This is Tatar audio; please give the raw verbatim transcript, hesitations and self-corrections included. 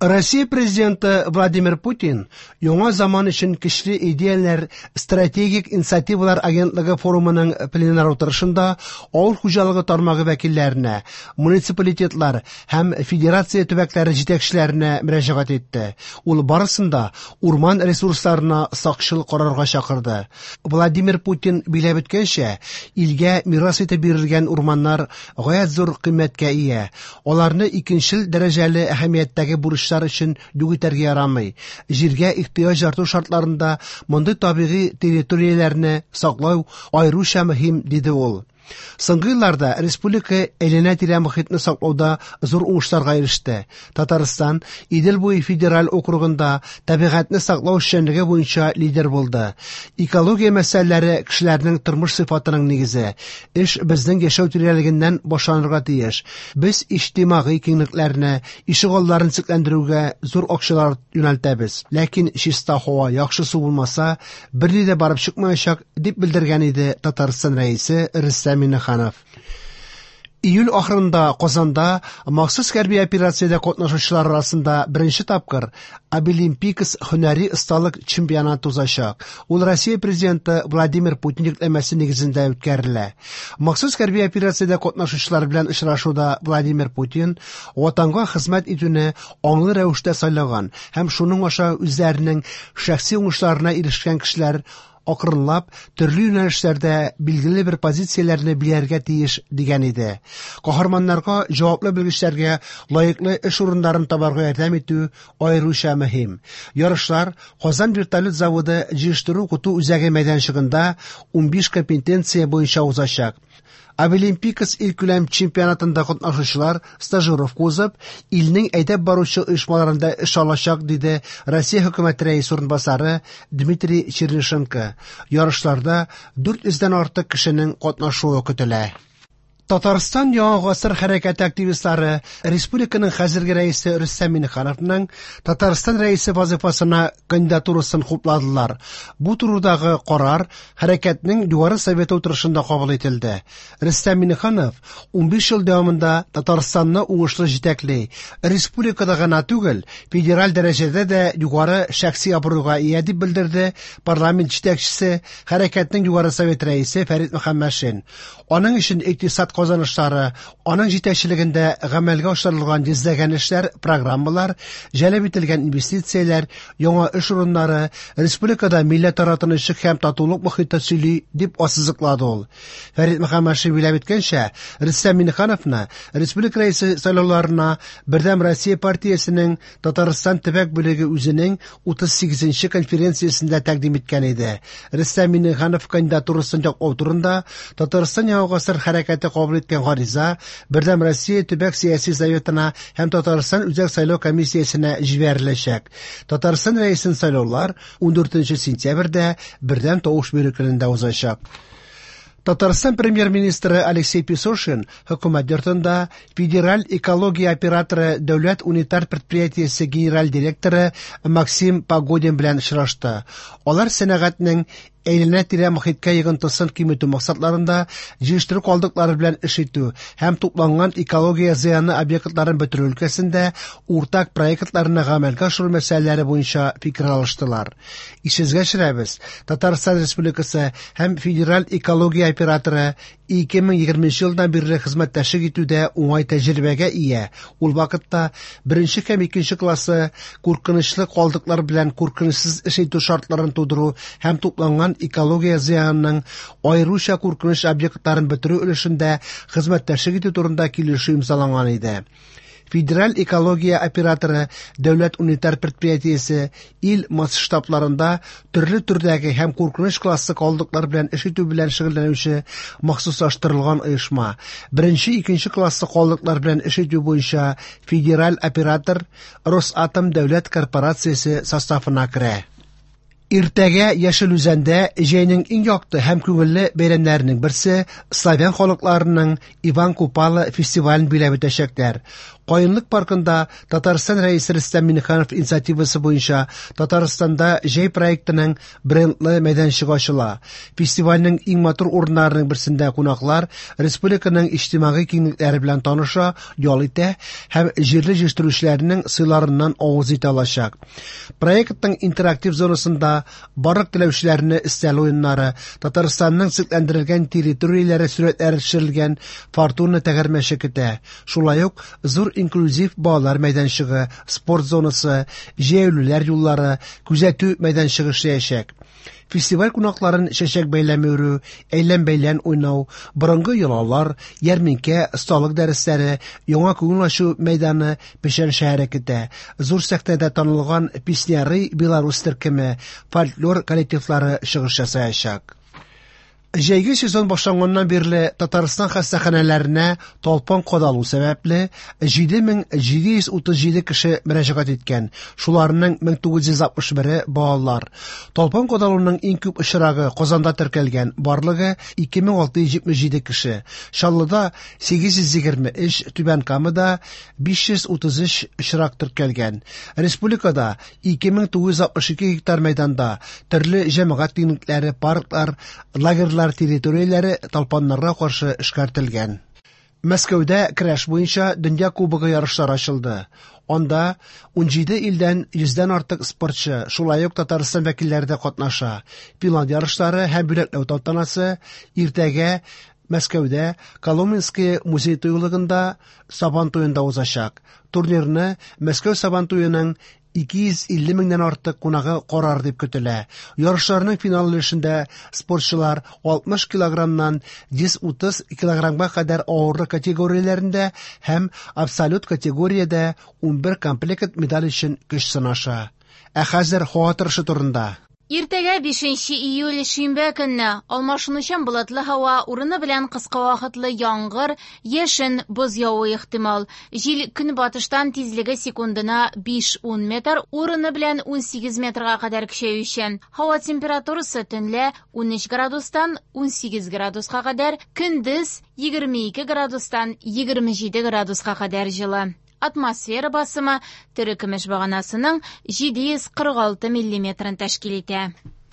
Россия президенты Владимир Путин яңа заман өчен көчле идеяләр стратегик инициативалар агентлыгы форумының пленар утырышында авыл хуҗалыгы тармагы вәкилләренә, муниципалитетлар һәм федерация төбәкләре җитәкчеләренә мөрәҗәгать итте. Ул барысын да урман ресурсларына сакчыл карарга чакырды. Владимир Путин билгеләп үткәнчә, илгә мирас итеп бирелгән урманнар гаять зур кыйммәткә ия. Аларны икенчел дәрәҗәле әһәмияттәге бурычлар өчен юк итәргә ярамый. Җиргә ихтыяҗ арту шартларында мондый табигый территорияләрне саклау аеруча мөһим, диде ул. Соңгы елларда республика әйләнә-тирә мохитне саклауда зур уңышларга иреште. Татарстан Идел буе федераль округында табигатьне саклау эшчәнлеге буенча лидер булды. Экология мәсьәләләре кешеләрнең тормыш сыйфатының нигезе. Эш безнең яшәү тирәлегеннән башланырга тиеш. Без иҗтимагый киңлекләрне, ишегалларын төзекләндерүгә зур акчалар юнәлтәбез. Ләкин чиста һава, яхшы су булмаса, берни дә барып чыкмаячак, дип белдергән иде Татарстан Рәисе Рөстәм Миңнеханов. Июль ахырында Казанда махсус хәрби операциядә катнашучылар арасында беренче тапкыр Абилимпикс һөнәри осталык чемпионаты узачак. Ул Россия президенты Владимир Путин йөкләмәсе нигезендә үткәрелә. Махсус хәрби операциядә катнашучылар белән очрашуда Владимир Путин ватанга хезмәт итүне аңлы рәвештә сайлаган һәм шуның аша үзләренең шәхси уңышларына ирешкән кешеләр акрынлап төрле юнәлешләрдә билгеле бер позицияләрне биләргә тиеш дигән иде. Каһарманнарга, җаваплы белгечләргә лаеклы эш урыннарын табарга ярдәм итү аеруча мөһим. Ярышлар Казан вертолет заводы җыештыру укыту үзәге мәйданчыгында унбиш компетенция буенча узачак. Абилимпикс илкүләм чемпионатында катнашучылар стажировка узып, илнең әйдәп баручы оешмаларында эш алачак, диде Россия хөкүмәте рәисе урынбасары Дмитрий Чернышенко. Ярышларда дүрт йөздән артык кешенең катнашуы көтелә. Татарстан Яңа гасыр хәрәкәте активистлары республиканың хәзерге рәисе Рөстәм Миңнехановның Татарстан рәисе вазифасына кандидатурасын хупладылар. Бу турыдагы карар хәрәкәтнең Югары Советы утырышында кабул ителде. Рөстәм Миңнеханов унбиш ел дәвамында Татарстанны уңышлы җитәкли. Республикада гына түгел, федераль дәрәҗәдә дә югары шәхси абруйга ия, дип белдерде парламент җитәкчесе, хәрәкәтнең Югары Совет рәисе Фәрит Мөхәммәтшин. Аның өчен икътисад казанышлары, аның җитәкчелегендә гамәлгә ашырылган йөзләгән эшләр, программалар, җәлеп ителгән инвестицияләр, яңа эш урыннары, республикада милләтара тынычлык һәм татулык мохите сөйли, дип ассызыклады ул. Фәрит Мөхәммәтшин билгеләп үткәнчә, Рөстәм Миңнехановны республика рәисе сайлауларына Бердәм Россия партиясенең Татарстан төбәк бүлеге үзенең утыз сигезенче конференциясендә тәкъдим иткән иде. Рөстәм Миңнеханов кандидатурасын яклау турында Татарстан Яңа гасыр хәрәкәте кабул иткән гариза Бердәм Россия төбәк сәяси советына һәм Татарстан Үзәк сайлау комиссиясенә җибәреләчәк. Татарстан рәисен сайлаулар ундүртенче сентябрьдә бердәм тавыш бирү көнендә узачак. Татарстан премьер-министры Алексей Песошин хөкүмәт йортында Федераль экология операторы дәүләт унитар предприятиесе генераль директоры Максим Погодин белән очрашты. Алар сәнәгатьнең әйләнә-тирә мохиткә йогынтысын киметү максатларында җыештыру калдыклары белән эш итү һәм тупланган экология зыяны объектларын бетерү өлкәсендә уртак проектларны гамәлгә ашыру мәсьәләләре буенча фикер алыштылар. Исегезгә төшерәбез, Татарстан Республикасы һәм Федераль экология операторы ике мең егерменче елдан бирле хезмәттәшлек итүдә уңай тәҗрибәгә ия. Ул вакытта беренче һәм икенче классы куркынычлы калдыклар белән куркынычсыз эш итү шартларын тудыру һәм тупланган экология зыянының аеруча куркыныч объектларын бетерү өлешендә хезмәттәшлек итү турында килешү имзаланган иде. Федераль экология операторы дәүләт унитар предприятиесе ил масштабларында төрле төрдәге һәм куркыныч классы калдыклар белән эш итү белән шөгыльләнүче махсуслаштырылган оешма. Беренче, икенче классы калдыклар белән эш итү буенча федераль оператор Росатом дәүләт корпорациясе составына керә. Иртәгә Яшел Үзәндә җәйнең иң якты һәм күңелле бәйрәмнәренең берсе славян халыкларының Иван Купала фестивален биләп үтәчәкләр. Каенлык паркында Татарстан Рәисе Рөстәм Миңнеханов инициативасы буенча Татарстанда җәй проектының брендлы мәйданчыгы ачыла. Фестивальнең иң матур урыннарының берсендә кунаклар республиканың иҗтимагый киңлекләре белән таныша, ял итә һәм җирле җитештерүчеләрнең сыйларыннан авыз итә алачак. Проектның интерактив зонасында барлык теләүчеләрне өстәл уеннары, Татарстанның төзекләндерелгән территорияләре сурәтләре төшерелгән Фортуна тәгәрмәче көтә. Шулай ук зур инклюзив балалар мәйданчыгы, спорт зонасы, җәяүлеләр юллары, күзәтү мәйданчыгы эшләячәк. Фестиваль кунакларын чәчәк бәйләме үрү, әйлән-бәйлән уйнау, борынгы йолалар, ярминкә, осталык дәресләре, яңа күңел ачу мәйданы Печән шәһәре көтә. Зур сәхнәдә танылган Песняры Беларусь төркеме, фольклор коллективлары чыгыш ясаячак. Җәйге сезон башланганнан бирле Татарстан хастаханәләренә талпан кадалу сәбәпле җиде мең җиде йөз утыз җиде кеше мөрәҗәгать иткән. Шуларның мең тугыз йөз алтмыш бере балалар. Талпан кадалуның иң күп очрагы Казанда теркәлгән, барлыгы ике мең алты йөз җитмеш җиде кеше. Чаллыда сигез йөз егерме өч, Түбән Камада биш йөз утыз өч очрак теркәлгән. Республикада ике мең тугыз йөз алтмыш ике гектар мәйданда төрле җәмәгать киңлекләре, парклар, лагерьлар территорияләре талпаннарга каршы эшкәртелгән. Мәскәүдә көрәш буенча дөнья кубогы ярышлары ачылды. Анда ун җиде илдән йөздән артык спортчы, шулай ук Татарстан вәкилләре дә катнаша. Финал ярышлары һәм бүләкләү тантанасы иртәгә Мәскәүдә Коломенский музей тыюлыгында Сабан туенда узачак. Турнирны Мәскәү Сабан туеның ике йөз илле меңнән артык кунагы карар дип көтелә. Ярышларның финал өлешендә спортчылар алтмыш килограммнан йөз утыз килограммга кадәр авырлык категорияләрендә һәм абсолют категориядә унбер комплект медаль өчен көч сынаша. Ә хәзер һава торышы турында. Иртәгә бишенче июль шимбә көнне алмашынучан болытлы һава, урыны белән кыска вакытлы яңгыр, яшен, боз явуы ихтимал. Җил көнбатыштан тизлеге секундына биш-ун метр, урыны белән ун сигез метрга кадәр көчәючән. Һава температурасы төнлә ун өч градустан ун сигез градуска кадәр, көндез егерме ике градустан егерме җиде градуска кадәр җылы. Атмосфера басымы терекөмеш баганасының җиде йөз кырык алты миллиметрын тәшкил итә.